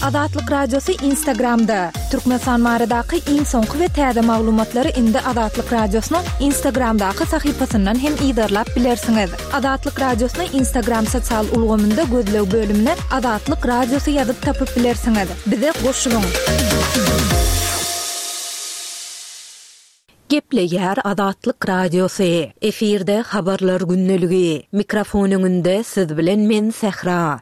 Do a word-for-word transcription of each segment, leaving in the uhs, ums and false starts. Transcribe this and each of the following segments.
Azatlyk Radiosy Instagramda. Türkmenistan baradaky iň soňky we täze maglumatlary indi Azatlyk Radiosynyň Instagramdaky sahypasyndan hem yzarlap bilersiňiz. Azatlyk Radiosyny Instagram sosial ulgamynda gözleg bölümine Azatlyk Radiosy ýazyp tapyp bilersiňiz. Bize goşulyň. Gepleýär Azatlyk Radiosy. Efirde habarlar gündeligi. Mikrofon öňünde siz bilen men Sähra.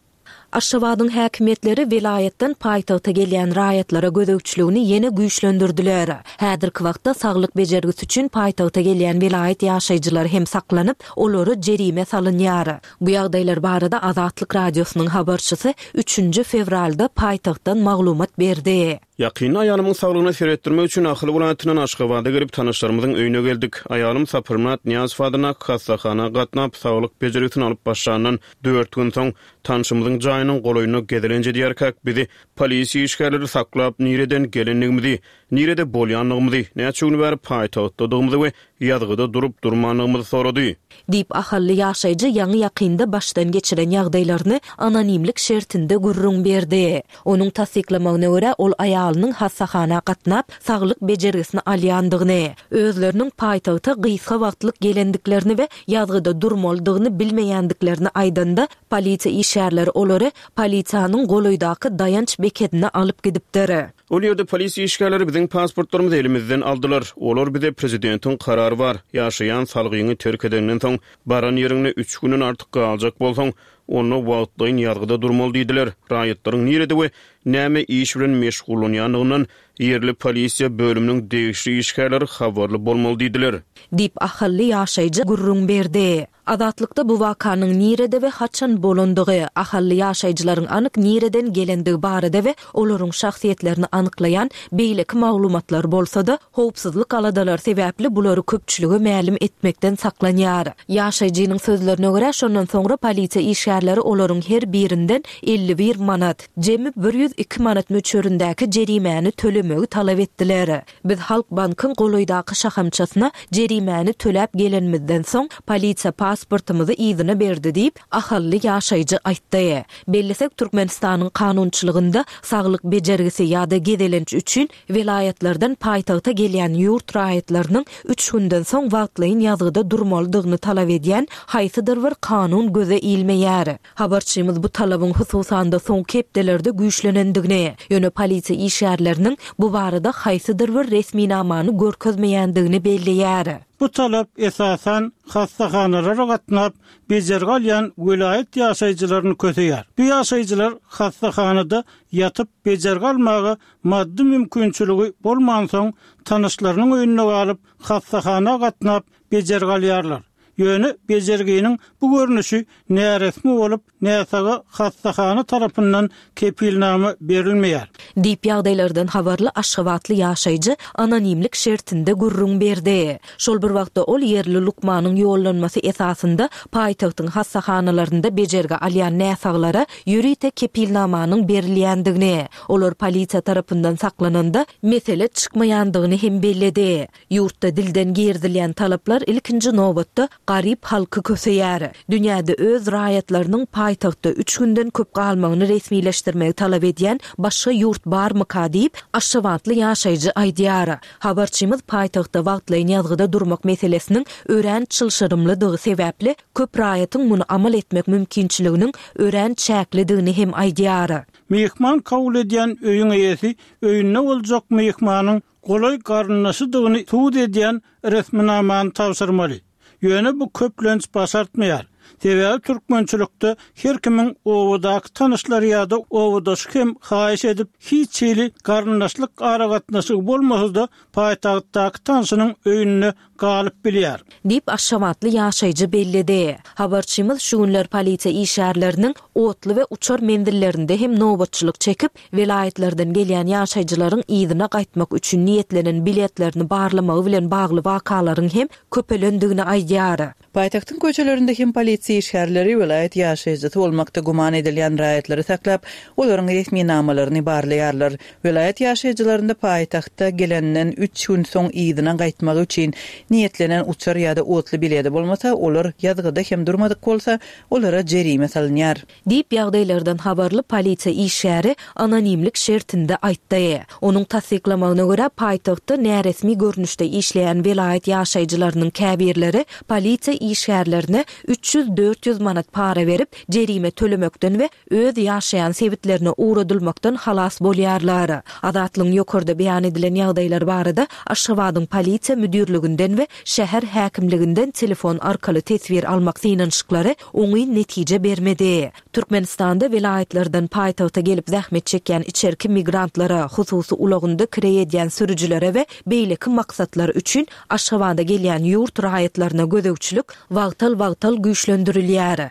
Aşgabadyň häkimiýetleri welaýatdan paýtagta gelýän raýatlara gözegçiligini ýene güýçlendirdiler. Häzirki wagtda saglyk bejergisi üçin paýtagta gelýän welaýat ýaşaýjylary hem saklanyp, olara jerime salynýar. Bu ýagdaýlar barada Azatlyk Radiosynyň habarçysy üçünji fewralda paýtagtdan maglumat berdi. Ýakynda aýalymyň saglygyna seretdirmek üçin Ahal welaýatyndan Aşgabada gelip, tanyşlarymyzyň öýüne geldik. Aýalym Saparmyrat Nyýazow adyndaky hassahana gatnap, saglyk bejergisini alyp başlandan dört gün soň, tanşymyzyň jaýynyň golaýynda gezelenç edýärkäk, bizi polisiýa işgärleri saklap, nireden gelendigimizi, nirede bolýandygymyzy, näçe gün bäri paýtagtdadygymyzy we ýazgyda durup-durmandygymyzy sorady. Diýip, ahally ýaşaýjy ýaňy-ýakynda başdan geçiren ýagdaýlaryny anonimlik şertinde gürrüň berdi. Onuň tassyklamagyna görä, ol aýalynyň hassahana gatnap, saglyk bejergisini alýandygyny, özleriniň paýtagta gysga wagtlyk gelendiklerini we ýazgyda durmalydygyny bilmeýändiklerini aýdanda, polisiýa işgärleri olary polisiýanyň golaýdaky daýanç bekedine alyp gidipdir. Ol ýerde polisiýa işgärleri biziň pasportlarymyzy elimizden aldylar. Olar bize prezidentiň karary bar, ýaşaýan salgyňy terk edenden soň, baran ýeriňde üç günden artyk galjak bolsaň, onda wagtlaýyn ýazgyda durmaly diýdiler. Raýatlaryň nirede we näme iş bilen meşgullanýandygyndan ýerli polisiýa bölüminiň degişli işgärleri habarly bolmaly diýdiler. Diýip, ahally ýaşaýjy gürrüň berdi. Azatlykda bu wakanyň nirede we haçan bolandygy, ahally ýaşaýjylaryň anyk nireden gelendigi barada we olaryň şahsyýetlerini anyklaýan beýleki maglumatlar bolsa-da, howpsuzlyk aladalary sebäpli bulary köpçülige mälim etmekden saklanýar. Ýaşaýjynyň sözlerine görä, şondan soňra polisiýa işgärleri olaryň her birinden elli bir manat, jemi bir ýüz iki manat möçberindäki jerimäni tölemegi talap etdiler. Biz Halk bankyň golaýdaky şahamçasyna jerimäni töläp gelenimizden soň, polisiýa pasportymyzy yzyna berdi diýip, ahally ýaşaýjy aýtdy. Bellesek, Türkmenistanyň kanunçylygynda saglyk bejergisi ýa-da gezelenç üçin welaýatlardan paýtagta gelýän ýurt raýatlarynyň üç günden soň wagtlaýyn ýazgyda durmalydygyny talap edýän haýsydyr bir kanun göze ilmeýär. Habarçymyz bu talabyň hususan-da soňky hepdelerde güýçlenendigini, ýöne polisiýa işgärleriniň bu barada haýsydyr bir resminamany görkezmeýändigini belleýär. Bu talap esasan hassahanalara gatnap, bejergi alýan welaýat ýaşaýjylaryny köseýär. Bu ýaşaýjylar hassahanada ýatyp bejergi almaga maddy mümkinçiligi bolmansoň, tanyşlarynyň öýünde galyp, hassahana gatnap bejergi alýarlar. Ýöne bejerginiň bu görnüşi näresmi bolup, näsaga hassahana tarapyndan kepilnama berilmeýär. Diýip, ýagdaýlardan habarly aşgabatly ýaşaýjy anonimlik şertinde gürrüň berdi. Şol bir wagtda ol ýerli lukmanyň ýollanmasy esasynda paýtagtyň hassahanalarynda bejergi alýan näsaglara ýörite kepilnamanyň berilýändigini, olar polisiýa tarapyndan saklananda mesele çykmaýandygyny hem belledi. Ýurtda dilden girizilýän talaplar ilkinji nobatda garyp halky köseýär. Dünýäde öz raýatlarynyň paýtagtda üç günden köp galmagyny resmileşdirmegi talap edýän başga ýurt barmyka diýip, aşgabatly ýaşaýjy aýdýar. Habarçymyz paýtagtda wagtlaýyn ýazgyda durmak meselesiniň örän çylşyrymlydygy sebäpli, köp raýatyň muny amal etmek mümkinçiliginiň örän çäklidigini hem aýdýar. Myhman kabul edýän öýüň eýesi öýünde boljak myhmanyň golaý garyndaşydygyny subut edýän resminamany tabşyrmaly. Ýöne bu köplenç başartmaýar. Sebäbi türkmençilikde her kimiň obadaky tanyşlary ýa-da obadaşy hem haýyş edip hiç hili garyndaşlyk aragatnaşygy bolmasa-da paýtagtdaky tanşynyň öýünde galyp bilýär. Diýip, aşgabatly ýaşaýjy belledi. Habarçymyz şu günler polisiýa işgärleriniň otly we uçar menzillerinde hem nobatçylyk çekip, welaýatlardan gelýän ýaşaýjylaryň yzyna gaýtmak üçin niýetlenen biletlerini barlamagy bilen bagly wakalaryň hem köpelendigini aýdýar. Paýtagtyň köçelerinde hem polisiýa Polisiýa işgärleri welaýat ýaşaýjysy bolmakda güman edilýän raýatlary saklap, olaryň resminamalaryny barlaýarlar. Welaýat ýaşaýjylarynda paýtagtda gelenden üç gün soň yzyna gaýtmagy üçin niýetlenen uçar ýa-da otly bileti bolmasa, olar ýazgyda hem durmadyk bolsa, olara jerime salynýar. Diýip ýagdaýlardan habarly polisiýa işgäri anonimlik şertinde aýtdy. Onuň tassyklamagyna görä, paýtagtda näresmi görnüşde işleýän welaýat ýaşaýjylarynyň käbirleri polisiýa işgärlerine üç ýüz dört ýüz manat para berip, jerime tölemekden we öz ýaşaýan sebitlerine ugradylmakdan halas bolýarlar. Azatlygyň ýokarda beýan edilen ýagdaýlar barada Aşgabadyň polisiýa müdirliginden we şäher häkimliginden telefon arkaly teswir almak synanyşyklary oňyn netije bermedi. Türkmenistanda welaýatlardan paýtagta gelip zähmet çekýän içerki migrantlara, hususy ulagynda kireý edýän sürüjilere we beýleki maksatlar üçin Aşgabada gelýän ýurt raýatlaryna gözegçilik wagtal-wagtal güýçlendirilýär.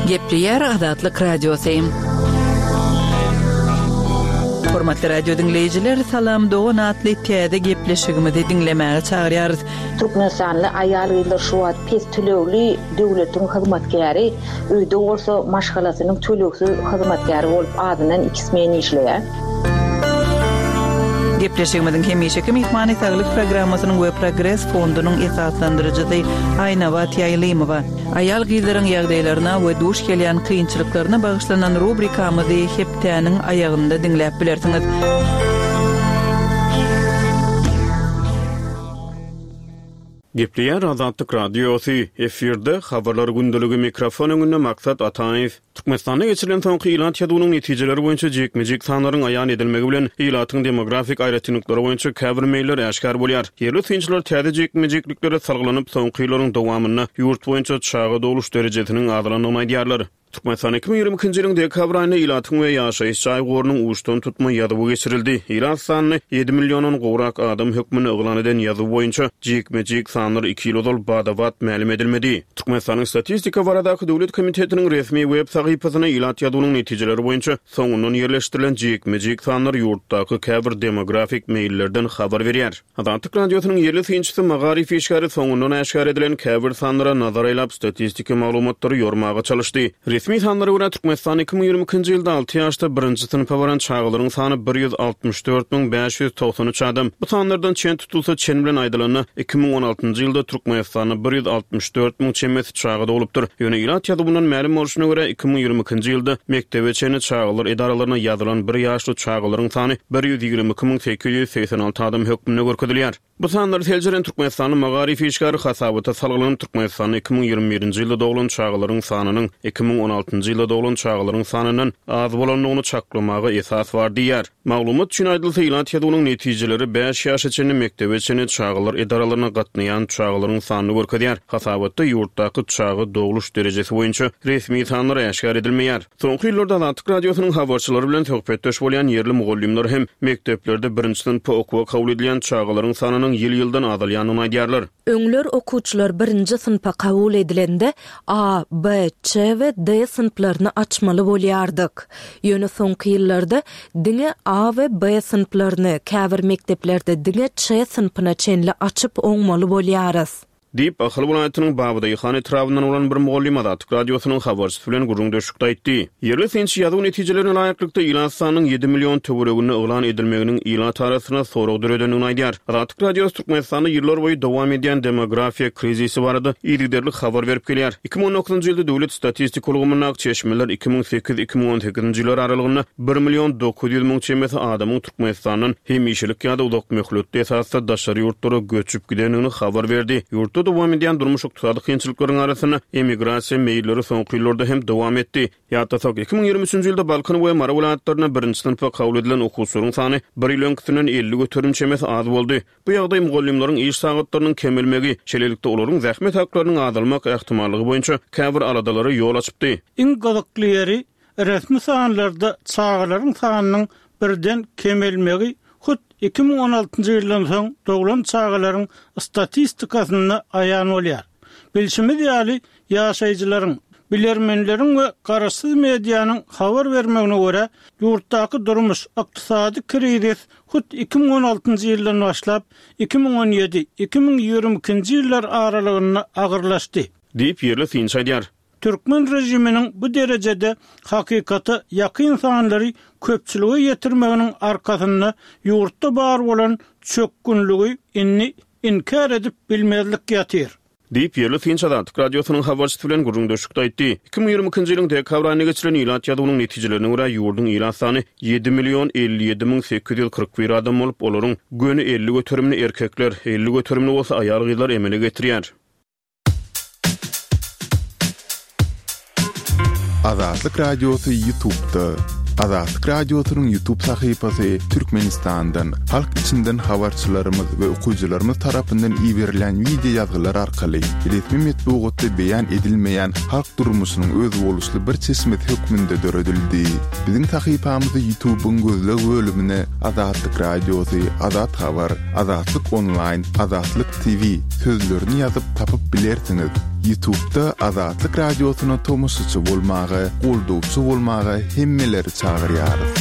Gepleýär Azatlyk Radiosy. Hormatly radio diňleýjiler, Salam Dogan atly täze gepleşigimizi diňlemäge çagyrýarys. Türkmenistanly aýal-gyzlar şu wagt pes tölegli döwletiň hyzmatkäri, öýde bolsa maşgalasynyň tölegsiz hyzmatkäri bolup azyndan iki smen işleýär. Gepleşigimiziň hemişeki myhmany Saglyk programmasynyň we Progres fondunyň esaslandyryjysy Aýnabat Ýaýlymowa. Aýal gyzlaryň ýagdaýlaryna we duş gelýän kynçylyklaryna bagyşlanan rubrikamyzy hepdäniň aýagynda diňläp bilersiňiz. Gepleýär Azatlyk Radiosy, efirde habarlar gündeligi mikrofon öňünde Maksat Ataýew. Türkmenistanda geçirilen soňky ilat ýazuwynyň netijeleri boýunça jikme-jik sanlaryň aýan edilmegi bilen ilatyň demografik aýratynlyklary boýunça käbir meýiller äşgär bolýar. Ýerli synçylar täze jikme-jikliklere salgylanyp, soňky ýyllaryň dowamynda ýurt boýunça çaga dogluş derejesiniň azalandygyny aýdýarlar. Türkmenistan iki müň ýigrimi ikinji ýylyň dekabr aýynda ilatyň we ýaşaýyş jaý gorunyň uçdan tutma ýazuwy geçirildi. Ilat sanyny ýedi milliondan gowrak adam hökmünde yglan eden ýazuw boýunça jikme-jik sanlar iki ýyl ozal badabat mälim edilmedi. Türkmenistanyň Statistika baradaky döwlet komitetiniň resmi web sahypasyna ilat ýazuwynyň netijeleri boýunça soňundan ýerleşdirilen jikme-jik sanlar ýurtdaky käbir demografik meýillerden habar berýär. Azatlyk Radiosynyň ýerli synçysy Magaryf işgäri soňundan äşgär edilen käbir sanlara nazar aýlap statistiki maglumatlary ýormaga çalyşdy. Resmi sanlara görä Türkmenistan iki müň ýigrimi ikinji ýylda alty ýaşda birinji synpa baran çagalaryň sany bir ýüz altmyş dört müň bäş ýüz togsan üç adam. Bu sanlardan çen tutulsa çen bilen aýdylanda iki müň on altynjy ýylda Türkmenistanda bir ýüz altmyş dört müň çemesi çaga dogulupdyr. Ýöne ilat ýazuwyndan mälim bolşuna görä iki müň ýigrimi ikinji ýylda mekdebe çenli çagalar edaralaryna ýazylan bir ýaşly çagalaryň sany bir ýüz ýigrimi iki müň sekiz ýüz segsen alty adam hökmünde görkezilýär. Bu sanlary seljeren Türkmenistanyň Magaryf işgäri hasabata salgylanan Türkmenistanda iki müň ýigrimi birinji ýylda doglan çagalaryň sanynyň iki müň on altynjy ýylda doglan çagalaryň sanyndan az bolandygyny çaklamaga esas bar diýýär. Maglumat üçin aýdylsa, ilat ýazuwynyň netijeleri bäş ýaşa çenli mekdebe çenli çagalar edaralaryna gatnaýan çagalaryň sanyny görkezýär. Hasabatda ýurtdaky çaga dogluş derejesi boýunça resmi sanlar äşgär edilmeýär. Soňky ýyllarda Azatlyk Radiosynyň habarçylary bilen söhbetdeş bolýan ýerli mugallymlar hem mekdeplerde birinji synpa okuwa kabul edilýän çagalaryň sanynyň ýyl-ýyldan azalýandygyny aýdýarlar. Öňler okuwçylar birinji synpa kabul edilende A, B, Ç we D synplaryny açmaly bolýardyk. Ýöne soňky ýyllarda diňe A we B synplaryny käbir mekdeplerde diňe Ç synpyna çenli açyp oňmaly bolýarys. Diýip, Ahal welaýatynyň Babadaýhan etrabyndan bolan bir mugallym Azatlyk Radiosynyň habarçysy bilen gürrüňdeşlikde aýtdy. Ýerli synçy ýazuw netijelerine laýyklykda ilat sanynyň ýedi million töwereginde yglan edilmeginiň ilat arasynda sorag döredendigini aýdýar. Azatlyk Radiosy Türkmenistanda ýyllar boýy dowam edýän demografiýa krizisi barada yzygiderli habar berip gelýär. Iki müň on dokuzynjy ýylda döwlet statistika ulgamyndaky çeşmeler iki müň sekiz iki müň on sekizinji ýyllar aralygynda bir million dokuz ýüz müň çemesi adamyň Türkmenistandan hemişelik ýa-da uzak möhletli esasda daşary ýurtlara göçüp gidendigini habar berdi. Ýurtda dowam edýän durmuş ykdysady kynçylyklaryň arasynda emigrasiýa meýilleri soňky ýyllarda hem dowam etdi. Ýatlasak, iki müň ýigrimi üçünji ýylda Balkan we Mary welaýatlarynda birinji synpa kabul edilen okuwçylaryň sany bir ýyl öňküsinden elli göterim çemesi az boldy. Bu ýagdaý mugallymlaryň iş sagatlarynyň kemelmegi, şeýlelikde olaryň zähmet haklarynyň azalmak ähtimallygy boýunça käbir aladalara ýol açypdy. Iň gyzykly ýeri resmi sanlarda çagalaryň sanynyň birden kemelmegi hut iki müň on altynjy ýyldan soň doglan çagalaryň statistikasynda aýan bolýar. Bilşimiz ýaly, ýaşaýjylaryň Bilermenleriň we garaşsyz medianyň habar bermegine görä, ýurtdaky durmuş ykdysady krizis hut iki müň on altynjy ýyldan başlap iki müň on ýedi iki müň ýigrimi ikinji ýyllar aralygynda agyrlaşdy. Diýip, ýerli synçy aýdýar. Türkmen rejiminiň bu derejede hakykata ýakyn sanlary köpçülige ýetirmeginiň arkasynda ýurtda bar bolan çökgünligi indi inkär edip bilmezlik ýatyr. Diýip, ýerli synçy Azatlyk Radiosynyň habarçysy bilen gürrüňdeşlikde aýtdy. Iki müň ýigrimi ikinji ýylyň dekabr aýynda geçirilen ilat ýazuwynyň netijelerine görä, ýurduň ilat sany ýedi million elli ýedi müň sekiz ýüz kyrk bir adam bolup, olaryň göni elli göterimini erkekler, elli göterimini bolsa aýal-gyzlar emele getirýär. Azatlyk Radiosy YouTube'da. Azatlyk Radiosynyň YouTube sahypasy Türkmenistandan, halk içinden habarçylarymyz we okyjylarymyz tarapyndan iberilen video ýazgylar arkaly resmi metbugatda beýan edilmeýän halk durmuşynyň özboluşly bir çeşmesi hökmünde döredildi. Biziň sahypamyzy YouTube'yň gözleg bölümine Azatlyk Radiosy, Azat Habar, Azatlyk Online, Azatlyk T V sözlerini ýazyp tapyp bilersiňiz. YouTube'da Azatlyk Radiosyna tomaşaçy bolmaga, goldawçy bolmaga hemmeleri çagyrýarys.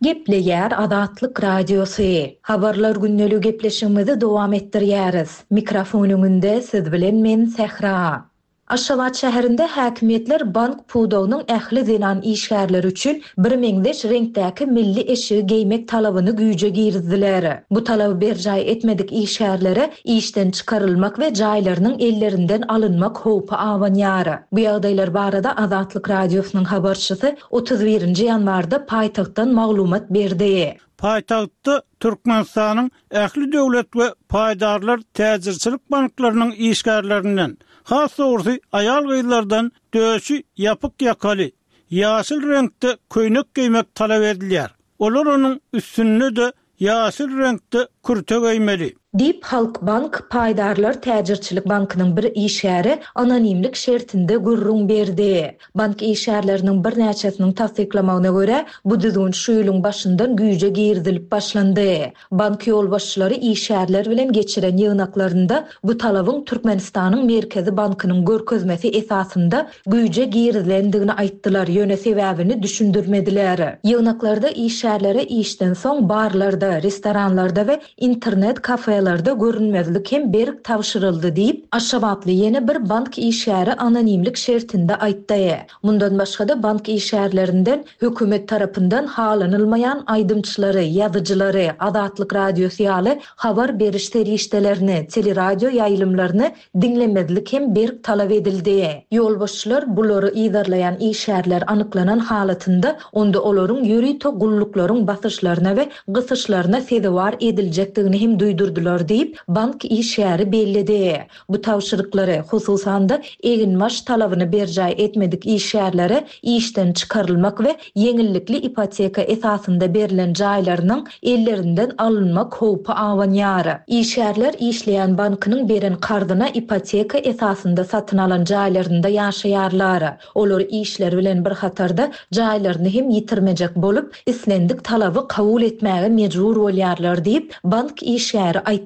Gepleýär Azatlyk Radiosy. Habarlar gündeliği gepleşigimizi dowam etdirýäris. Mikrofon öňünde siz bilen men Sähra. Aşgabat şäherinde häkimiýetler bank pudagynyň ähli zenan işgärleri üçin bir meňzeş reňkdäki milli eşigi geýmek talabyny güýje girizdiler. Bu talaby berjaý etmedik işgärlere işden çykarylmak we jaýlarynyň ellerinden alynmak howpy abanýar. Bu ýagdaýlar barada Azatlyk Radiosynyň habarçysy otuz birinji ýanwarda paýtagtdan maglumat berdi. Paýtagtda Türkmenistanyň ähli döwlet we paýdarlar täjirçilik banklarynyň işgärlerinden, has dogrusu aýal-gyzlardan döşi ýapyk ýakaly, ýaşyl reňkde köýnek geýmek talap edilýär. Olar onuň üstünde de ýaşyl reňkde kürte geýmeli. Diýip Halk Bank paýdarlar täjirçilik bankynyň bir işgäri anonimlik şertinde gürrüň berdi. Bank işgärleriniň birnäçesiniň tassyklamagyna görä, bu düzgün şu ýylyň başyndan güýje girizilip başlandy. Bank ýolbaşçylary işgärler bilen geçiren ýygnaklarynda bu talabyň Türkmenistanyň Merkezi Bankynyň görkezmesi esasynda güýje girizilendigini aýtdylar, ýöne sebäbini düşündirmediler. Ýygnaklarda işgärlere işden soň barlarda, restoranlarda we internet kafelerde görünmezlik hem berk tabşyryldy diýip, Aşgabatly ýene bir bank işgäri anonimlik şertinde aýtdy. Mundan başga-da bank işgärlerinden hökümet tarapyndan halanylmaýan aýdymçylary, ýazyjylary, Azatlyk Radiosy ýaly habar beriş serişdelerini, teleradio ýaýlymlaryny diňlemezlik hem berk talap edildi. Ýolbaşçylar bulary yzarlaýan işgärler anyklanan halatynda onda olaryň ýörite gulluklaryň basyşlaryna we gysyşlaryna sezewar ediljekdigini hem duýdurdylar diýip, bank işgäri belledi. Bu tabşyryklary, hususan-da eginbaş talabyny berjaý etmedik işgärlere işden çykarylmak we ýeňillikli ipoteka esasynda berlen jaýlarynyň ellerinden alynmak howpy abanýar. Işgärler işleýän bankynyň beren karzyna ipoteka esasynda satyn alan jaýlarynda ýaşaýarlar. Olar işler bilen bir hatarda jaýlaryny hem ýitirmejek bolup, islendik talaby kabul etmäge mejbur bolýarlar diýip, bank işgäri aýtdy.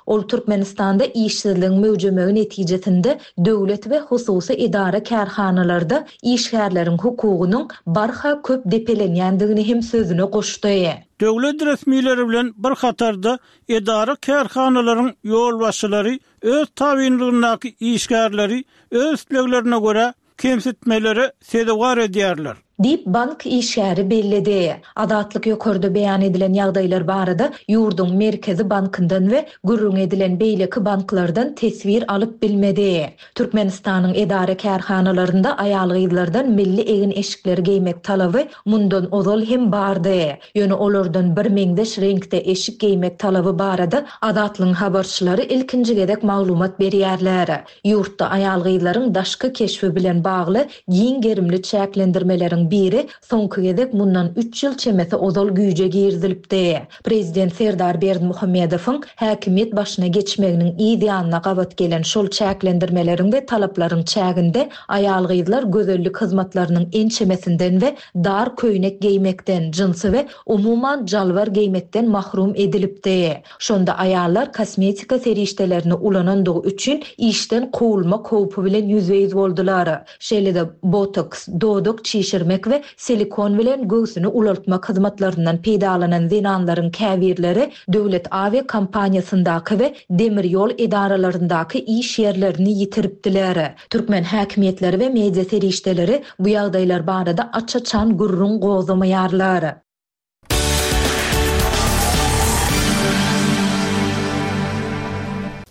Ol Türkmenistanda işsizligiň möwjemegi netijesinde döwlet we hususy edara kärhanalarda işgärleriň hukugynyň barha köp depelenýändigini hem sözüne goşdy. Döwlet resmileri bilen bir hatarda edara kärhanalaryň ýolbaşçylary öz tabynlygyndaky işgärleri öz isleglerine görä kemsitmelere sezewar edýärler. Diýip bank işgäri belledi. Azatlyk ýokarda beýan edilen ýagdaýlar barada ýurduň Merkezi bankyndan we gürrüň edilen beýleki banklardan teswir alyp bilmedi. Türkmenistanyň edara kärhanalarynda aýal-gyzlardan milli egin-eşikleri geýmek talaby mundan ozal hem bardy. Ýöne olardan bir meňzeş reňkde eşik geýmek talaby barada Azatlygyň habarçylary ilkinji gezek maglumat berýärler. Ýurtda aýal-gyzlaryň daşky keşbi bilen bagly giň gerimli çäklendirmeleriň talaplaryň biri soňky gezek mundan üç ýyl çemesi ozal güýje girizilipdi. Prezident Serdar Berdimuhamedowyň häkimiýet başyna geçmeginiň yz ýanyna gabat gelen şol çäklendirmeleriň we talaplaryň çäginde aýal-gyzlar gözellik hyzmatlarynyň ençemesinden we dar köýnek geýmekden, jynsy we umuman jalbar geýmekden mahrum edilipdi. Şonda aýallar kosmetika serişdelerini ulanandygy üçin işden kowulmak howpy bilen ýüzbe-ýüz boldular. Şeýle-de botoks, dodak çişirmek we silikon bilen göwsüni ulaltmak hyzmatlaryndan peýdalanan zenanlaryň käbirleri döwlet awiýa kompaniýasyndaky we demir ýol edaralaryndaky iş ýerlerini ýitiripdiler. Türkmen häkimiýetleri we media serişdeleri bu ýagdaýlar barada aç-açan gürrüň gozamaýarlar.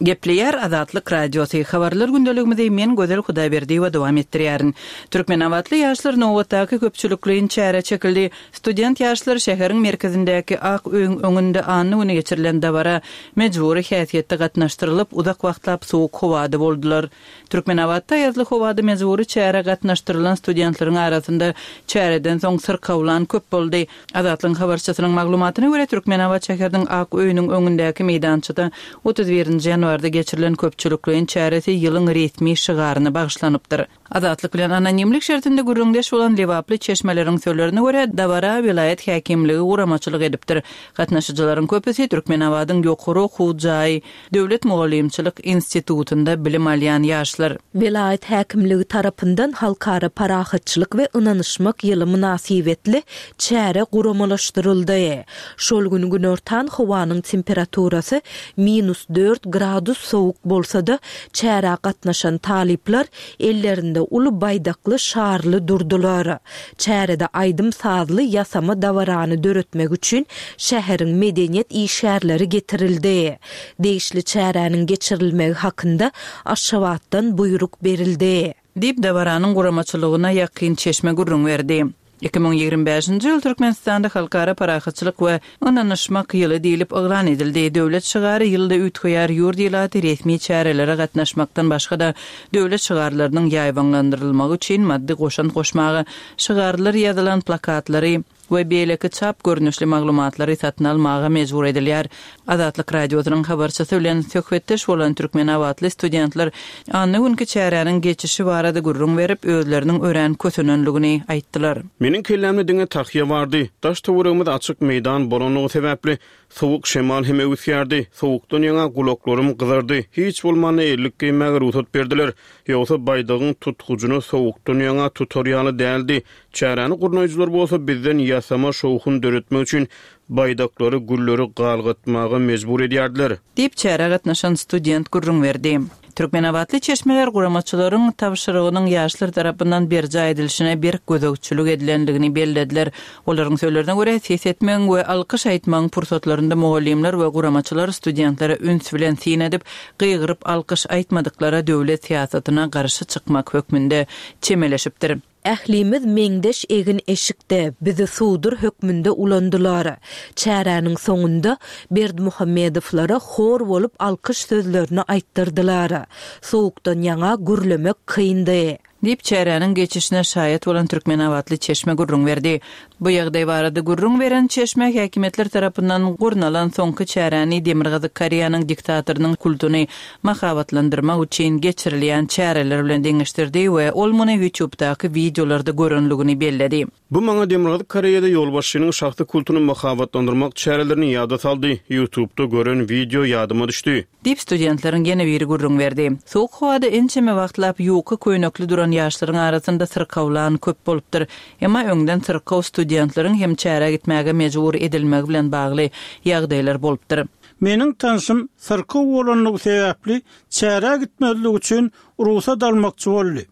Gepleýär Azatlyk Radiosy. Habarlar gündeligimizi men Gözel Hudaýberdiýewa dowam etdirýärin. Türkmenabatly ýaşlar nobatdaky köpçülikleýin çäre çekildi. Student ýaşlar şäheriň merkezindäki Ak öýüň öňünde anna güni geçirilen dabara mejbury häsiýetde gatnaşdyrylyp, uzak wagtlap sowuk howada boldular. Türkmenabatda ýazly howada mejbury çäre gatnaşdyrylan studentleriň arasynda çäreden soň syrkawlan köp boldy. Azatlygyň habarçysynyň maglumatyna görä Türkmenabat şäheriniň Ak öýüniň öňündäki meýdançada otuz birinji ýanwarda geçirilen köpçülikleýin çäresi ýylyň resmi şygaryna bagyşlanypdyr. Azatlyk bilen anonimlik şertinde gürrüňdeş bolan Lebaply çeşmeleriň sözlerine görä dabara welaýat häkimligi guramaçylyk edipdir. Gatnaşyjylaryň köpüsi Türkmenabadyň ýokary okuw jaýy Döwlet mugallymçylyk institutynda bilim alýan ýaşlar. Welaýat häkimligi tarapyndan halkara parahatçylyk we ynanyşmak ýyly mynasybetli çäre guramalaşdyryldy. Şol gün günortan howanyň temperaturasy minus dört gradus sowuk bolsa-da, çärä gatnaşan talyplar ellerinde uly baýdakly şarly durdular. Çärede aýdym sazly ýasama dabarany döretmek üçin şäheriň medeniýet işgärleri getirildi. Degişli çäräniň geçirilmegi hakynda Aşgabatdan buýruk berildi. Diýip dabaranyň guramaçylygyna ýakyn çeşme gürrüň berdi. Iki müň ýigrimi bäşinji ýyl Türkmenistanda halkara parahatçylyk we ynanyşmak ýyly diýlip yglan edildi. Döwlet şygary ýylda üýtgeýär, ýurt ilaty resmi çärelere gatnaşmakdan başga-da döwlet şygarlarynyň ýaýbaňlandyrylmagy üçin maddy goşant goşmaga, şygarlar ýazylan plakatlary we beýleki çap görnüşli maglumatlary satyn almaga mejbur edilýär. Azatlyk Radiosynyň habarçysy bilen söhbetdeş bolan Türkmenabatly studentler anna günki çäräniň geçişi barada gürrüň berip, özleriniň örän kösenenligini aýtdylar. Meniň kellämde diňe tahýa bardy. Daş töweregimiz açyk meýdan bolanlygy sebäpli sowuk şemal hem öwüsýärdi. Sowukdan ýaňa gulaklarym gyzardy. Hiç bolmanda ellik geýmäge rugsat berdiler. Ýogsa baýdagyň tutgujyny sowukdan ýaňa tutar ýaly däldi. Çäräni gurnaýjylar bolsa bizden ýasama şowhun döretmek üçin baýdaklary, gülleri galgatmaga mejbur edýärdiler. Diýip çärä gatnaşan student gürrüň berdi. Türkmenabatly çeşmeler guramaçylaryň tabşyrygynyň ýaşlar tarapyndan berjaý edilişine berk gözegçilik edilenligini bellediler. Olaryň sözlerine görä ses etmegiň we alkyş aýtmagyň pursatlarynda mugallymlar we guramaçylar studentlere üns bilen syn edip, gygyryp alkyş aýtmadyklara döwlet syýasatyna garşy çykmak hökmünde çemeleşipdir. Ählimiz meňdeş egin eşikde bizi sudur hökmünde ulandylar. Çäräniň soňunda Berdimuhamedowlara hor bolup alkyş sözlerini aýtdyrdylar. Sowukdan ýaňa gürlemek kyndy. Diýip çäräniň geçişine şaýat bolan Türkmenabatly çeşme gürrüň berdi. Bu ýagdaý barada gürrüň beren çeşme häkimiýetler tarapyndan gurnalan soňky çäräni Demirgazyk Koreýanyň diktatorynyň kultuny mahabatlandyrmak üçin geçirilýän çäreler bilen deňeşdirdi we ol muny YouTube'daky wideolarda görenligini belledi. Bu maňa Demirgazyk Koreýada ýolbaşçynyň şahsy kultuny mahabatlandyrmak çärelerini ýada saldy. YouTube'da gören wideo ýadyma düşdi. Diýip studentleriň ýene biri gürrüň berdi. Sowuk howada ençeme wagtlap ýuka köýnekli duran ýaşlaryň arasynda syrkawlan köp bolupdyr. Emma öňden syrkaw studentleriň hem çärä gitmäge mejbur edilmegi bilen bagly ýagdaýlar bolupdyr. Meniň tanşym syrkaw bolanlygy sebäpli çärä gitmezlik üçin rugsat almakçy boldy.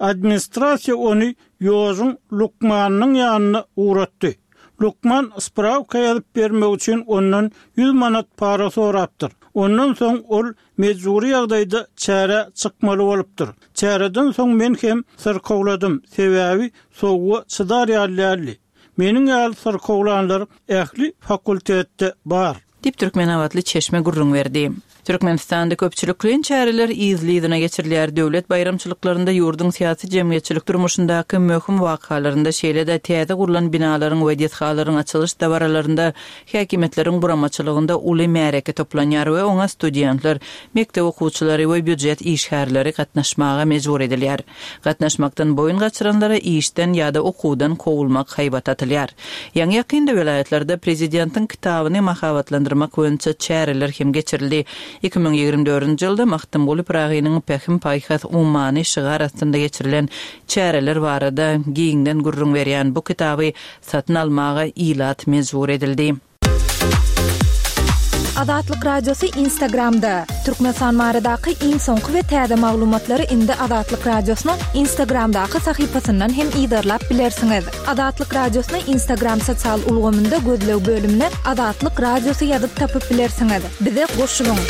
Administrasiýa ony ýožuň lukmanynyň ýanyna ugratdy. Lukman spravka ýazyp bermek üçin ondan ýüz manat para sorapdyr. Ondan soň ol mejbury ýagdaýda çärä çykmaly bolupdyr. Çäreden soň men hem syrkawladym, sebäbi sowuga çydar ýaly däldi. Meniň ýaly syrkawlanlar ähli fakultetde bar. Diýip, türkmenabatly çeşme gürrüň berdi. Türkmenistanda köpçülikleýin çäreler yzly-yzyna geçirilýär. Döwlet baýramçylyklarynda ýurduň syýasy-jemgyýetçilik durmuşyndaky möhüm wakalarynda, şeýle-de täze gurlan binalaryň we desgalaryň açylyş dabaralarynda häkimiýetleriň guramaçylygynda uly märeke toplanýar we oňa studentler, mekdep okuwçylary we býujet işgärleri gatnaşmaga mejbur edilýär. Gatnaşmakdan boýun gaçyranlara işden ýa-da okuwdan kowulmak haýbat atylýar. Ýaňy-ýakynda welaýatlarda prezidentiň kitabyny mahabatlandyrmak boýunça çäreler hem geçirildi. Iki müň ýigrimi dördünji ýylda Magtymguly Pyragynyň Pähim-paýhas ummany şygar astynda geçirilen çäreler barada giňden gürrüň berýän bu kitaby satyn almaga ilat mejbur edildi. Azatlyk Radiosy Instagramda, Türkmenistan baradaky iň soňky we täze maglumatlary indi Azatlyk Radiosynyň Instagramdaky sahypasyndan hem yzarlap bilersiňiz. Azatlyk Radiosyny Instagram sosial ulgamynda gözleg bölümine Azatlyk Radiosy ýazyp tapyp bilersiňiz. Bize goşulyň!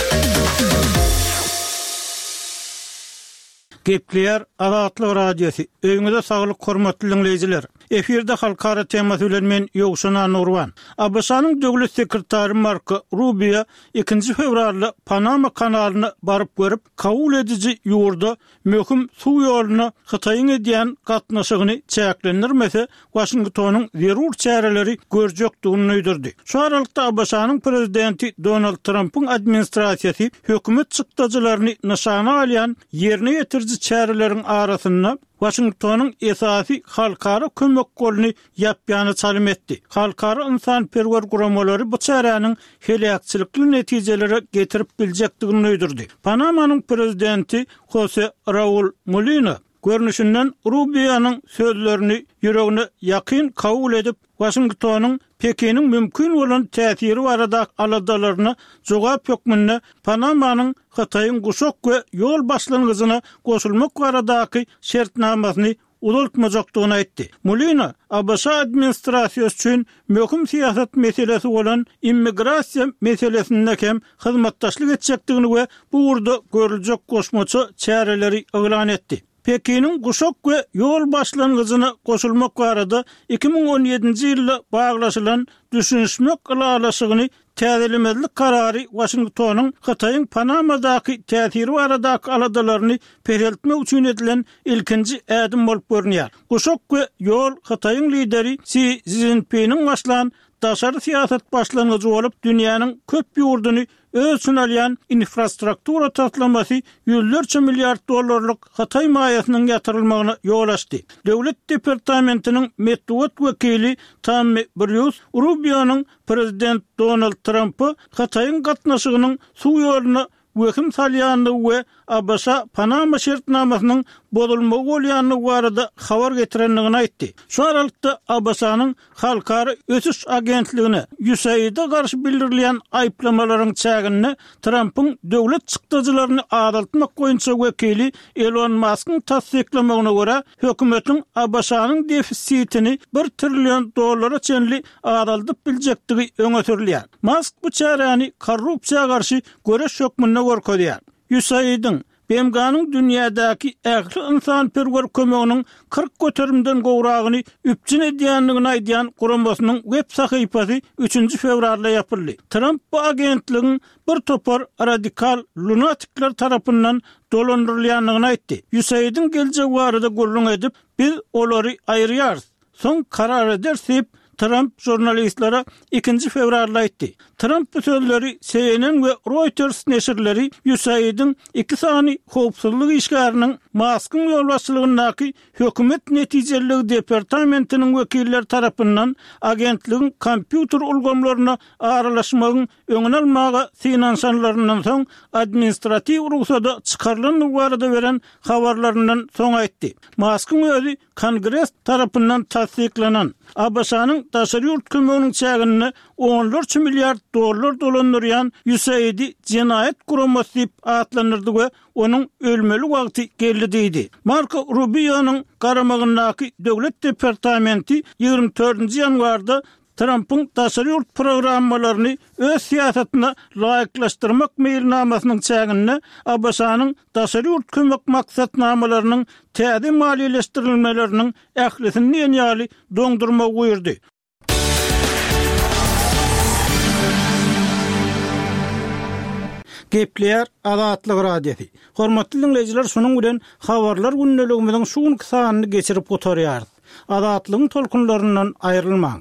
Gepleýär Azatlyk Radiosy. Öýüňize saglyk hormatly diňleýjiler. Efirde halkara temasy bilen men Ýowşan Annagurban. ABŞ-nyň döwlet sekretary Marko Rubio ikinji fewralda Panama kanalyna baryp görüp, kabul ediji ýurda möhüm suw ýoluna Hytaýyň edýän gatnaşygyny çäklendirmese, Waşingtonyň zerur çäreleri görjekdigini duýdurdy. Şu aralykda ABŞ-nyň prezidenti Donald Trampyň administrasiýasy hökümet çykdajylaryny nyşana alýan ýerine ýetiriji çäreleriň arasynda Waşingtonyň esasy halkara kömek goluny ýapýana çalym etdi. Halkara ynsanperwer guramalary bu çäräniň heläkçilikli netijelere getirip biljekdigini duýdurdy. Panamanyň prezidenti Hose Raul Mulino, görnüşinden, Rubionyň sözlerini ýüregine ýakyn kabul edip, Waşingtonyň Pekiniň mümkin bolan täsiri baradaky aladalaryna jogap hökmünde Panamanyň Hytaýyň Guşak we ýol başlangyjyna goşulmak baradaky şertnamasyny uzaltmajakdygyny aýtdy. Mulino ABŞ administrasiýasy üçin möhüm syýasat meselesi bolan immigrasiýa meselesinde hem hyzmatdaşlyk etjekdigini we bu ugurda görüljek goşmaça çäreleri yglan etdi. Pekiniň Guşak we ýol başlangyjyna goşulmak barada iki müň on ýedinji ýylda baglaşylan düşünişmek ylalaşygyny täzelemezlik karary Waşingtonyň Hytaýyň Panamadaky täsiri baradaky aladalaryny peseltmek üçin edilen ilkinji ädim bolup görünýär. Guşak we ýol Hytaýyň lideri Si Szinpiniň başlan daşary syýasat başlangyjy bolup, dünýäniň köp ýurduny öz içine alýan infrastruktura taslamasy ýüzlerçe milliard dollarlyk hytaý maýasynyň ýatyrylmagyna ýol açdy. Döwlet departamentiniň metbugat wekili Tammi Brýus Rubionyň prezident Donald Trampa Hytaýyň gatnaşygynyň suw ýoluna wehim salýandygy we ABŞ-Panama şertnamasynyň bozulmagy bolýandygy barada habar getirendigini aýtdy. Şu aralykda, ABŞ-nyň Halkara ösüş agentligine, USAID-e garşy bildirilýän aýyplamalaryň çäginde Trampyň döwlet çykdajylaryny azaltmak boýunça wekili Elon Maskyň tassyklamagyna görä, hökümetiň ABŞ-nyň defisitini bir trillion dollara çenli azaldyp biljekdigi öňe sürülýär. Mask bu çäräni korrupsiýa garşy göreş hökmünde görkezýär. USAID-iň, BMG-niň dünýädäki ähli ynsanperwer kömeginiň kyrk göterimden gowragyny üpjün edýändigini aýdýan guramasynyň web sahypasy üçünji fewralda ýapyldy. Tramp bu agentligiň bir topar radikal lunatikler tarapyndan dolandyrylýandygyny aýtdy. USAID-iň geljegi barada gürrüň edip, Biz olary aýyrýarys. Soň karar ederis diýip, Tramp žurnalistlere ikinji fewralda aýtdy. Tramp bu sözleri C N N we Reuters neşirleri USAID-iň iki sany howpsuzlyk işgäriniň Maskyň ýolbaşçylygyndaky Hökümet netijeliligi departamentiniň wekilleri tarapyndan agentligiň kompýuter ulgamlaryna aralaşmagyň öňüni almaga synanyşanlaryndan soň administratiw rugsada çykarylandygy barada beren habarlaryndan soň aýtdy. Maskyň özi Kongres tarapyndan tassyklanan, ABŞ-nyň daşary ýurt kömeginiň çäginde onlarça milliard dollar dolandyrýan USAID-i jenaýat guramasy diýip atlandyrdy we onuň ölmeli wagty geldi diýdi. Marko Rubionyň garamagyndaky Döwlet departamenti ýigrimi dördünji ýanwarda Trampyň daşary ýurt programmalaryny öz syýasatyna laýyklaşdyrmak meýilnamasynyň çäginde ABŞ-nyň daşary ýurt kömek maksatnamalarynyň täze maliýeleşdirilmeleriniň ählisini diýen ýaly doňdurmagy buýurdy. Gepleýär Azatlyk Radiosy. Hormatly diňleýjiler, şunuň bilen habarlar gündeligimiziň şu günki sanyny geçirip gutarýarys. Azatlygyň tolkunlaryndan aýrylmaň.